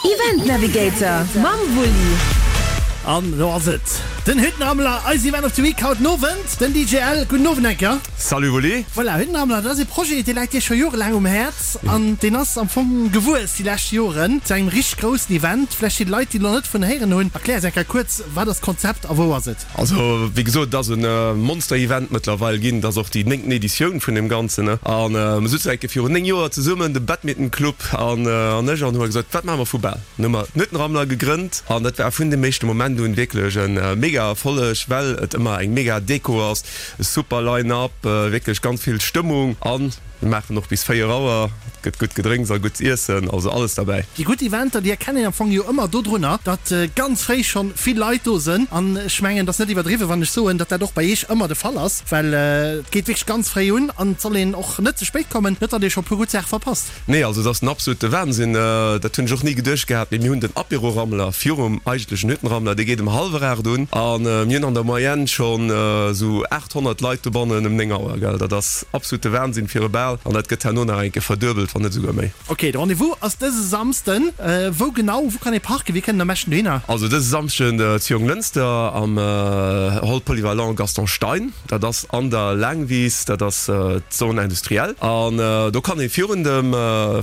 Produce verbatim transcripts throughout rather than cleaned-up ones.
Event Navigator mam Wulli. An do ass et, den Hüttenrammler, eis Event of the Week haut den Owend, den D J L. Gudden Owend eng Kéier. Salut Wulli. Voilà, Hüttenrammler, dat ass e Projet, dee läit dir scho jorelaang um Häerz an deen ass am Fong gewuess déi lescht Joren zu engem richteg groussen Event. Vläicht fir déi Leit, déi nach net vun héieren hunn, erklär eis eng Kéier kuerz, wat ass d'Konzept a wou ass et? Also, wéi gesot, et ass e Monster-Event mëttlerweil ginn. Et ass och déi néngten Editioun vun deem Ganzen. An mir souzen eng Kéier virun néng Joer zesummen, de Badminton Club an ech, an hu mer gesot, wat maache mer vu bal? Dann hu mer den Hüttenrammler gegrënnt an dat war vun dem éischte Moment un wierklech e mega Erfolleg, well et ëmmer eng mega Deko ass, e super Line-up, wierklech ganz vill Stëmmung an mir maachen och bis véier Auer, et gëtt gutt Gedrénks a gutt z'iessen, also alles derbäi. Déi gutt Eventer, déi erkennt een am Fong jo ëmmer dodrunner, datt ganz fréi schonn vill Leit do sënn an ech mengen, et ass net iwwerdriwwen, wann ech soen, datt dat och bei Iech ëmmer de Fall ass, well et geet wierklech ganz fréi un an et soll een och net ze spéit kommen, net datt ee scho e puer gutt Saache verpasst. Nee, also et ass den absolute Wahnsinn, dat hunn ech och ni geduecht gehat, mee mir hunn den Apéro-Rammler virum eigentlechen Hüttenrammler, dee geet ëm hallwer aacht un a mir hunn an der Moyenne schonn esou aathonnert Leit dobannen ëm néng Auer, gell. Dat ass absolute Wahnsinn fir e Bal an dat gëtt herno nach eng Kéier verduebelt, wann net esouguer méi. Ok, de Rendez-vous ass dëse Samsden. Wou genau? Wou kann ee parken? Wéi kënnt een am beschten dohinner? Also dëse Samschden zu Jonglënster am Hall Polyvalent Gaston Stein. Dat ass an der Laangwiss, dat ass d'Zone industrielle. An do kann ee virun dem,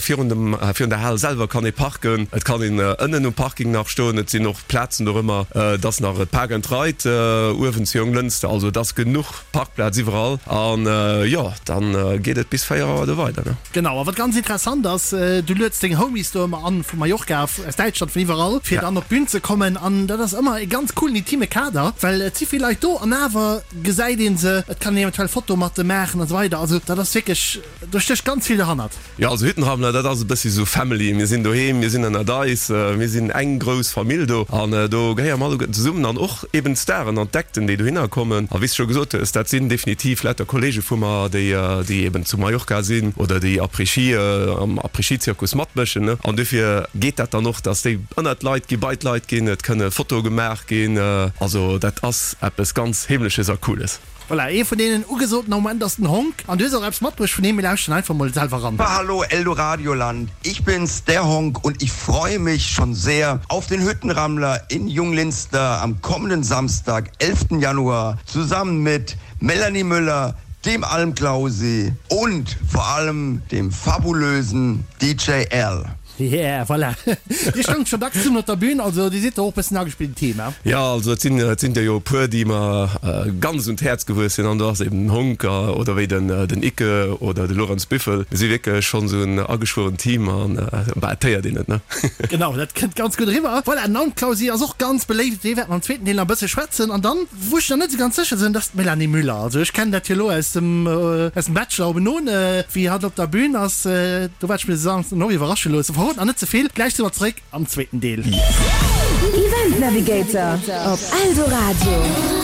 virun dem, virun der Hal selwer kann ee parken. Et kann een ënnen um Parking nach stoen. Et sinn och Plazen dorëmmer. Et ass nach e Park and Ride uewen zu Jonglënster. Also et ass genuch Parkplaz iwwerall. An jo, dann geet et bis véier Auer do weider, ne? Genau, a wat ganz interessant ass, du lueds deng Homies do ëmmer an, vu Mallorca, aus Däitschland, vun iwwerall, fir dann op d'Bün ze kommen. An dat ass ëmmer e ganz coolen, intime Kader, well et si vill Leit do an awer gesäit ee se, et kann een eventuell Fotoe mat de maachen an esou weider. Also dat ass wierklech, do stécht ganz vill derhannert. Jo, also Hüttenrammler, dat ass e bëssi sou Family. Mir sinn doheem, mir sinn ënnert eis, mir sinn eng grouss Famill do an do gehéiere mer alleguerten zesummen an och eben d'Staren an d'Acten, déi dohinner kommen. A wéi s de scho gesot hues, dat sinn definitiv lauter Kollege vu mer, déi, déi eben zu Mallorca sinn oder déi Après-Ski, am Après-Ski-Zirkus matmëschen, ne. An dofir geet dat dann och, dass déi ënnert d'Leit ginn, bei d'Leit ginn, et kënne Fotoe gemaach ginn. Also dat ass eppes ganz Heemleches a Cooles. Voilà, ee vun deenen ugesoten am Moment ass den Honk. An du hues och eppes matbruecht vun him, mir lauschteren einfach mol selwer ran. Hallo Eldoradioland, ich bin's, der Honk und ich freue mich schon sehr auf den Hüttenrammler in Junglinster am kommenden Samstag, elften Januar, zusammen mit Melanie Müller, dem Almklausi und vor allem dem fabulösen D J L. Yeah, voilà. Dir stoungt scho dacks zesummen op der Bühn, also dir sidd do och e bëssen agespillten Team, he? Jo, also et sinn, et sinn der jo e puer, déi mer ganz un d'Häerz gewuess sinn, an do ass eben den Honk oder wéi den, den Icke oder de Lorenz Büffel. Mir si wierklech schonn esou en ageschwuerent Team an bah, et héiert een et, ne? Genau, dat kënnt ganz gutt eriwwer. Voilà, den Almklausi ass och ganz beléift, dee wäerte mer am zweeten Deel nach e bësse schwätzen. An dann, wou ech nach net esou ganz sécher sinn, dat ass d'Melanie Müller. Also ech kennen dat jo elo aus dem, aus dem Bachelor obenon, wéi hatt op der Bühn ass, do wäert ech mech dann och iwwerrasche loossen. Verrot nach net ze vill, gläich si mer zeréck am zweeten Deel. Event Navigator op Eldoradio.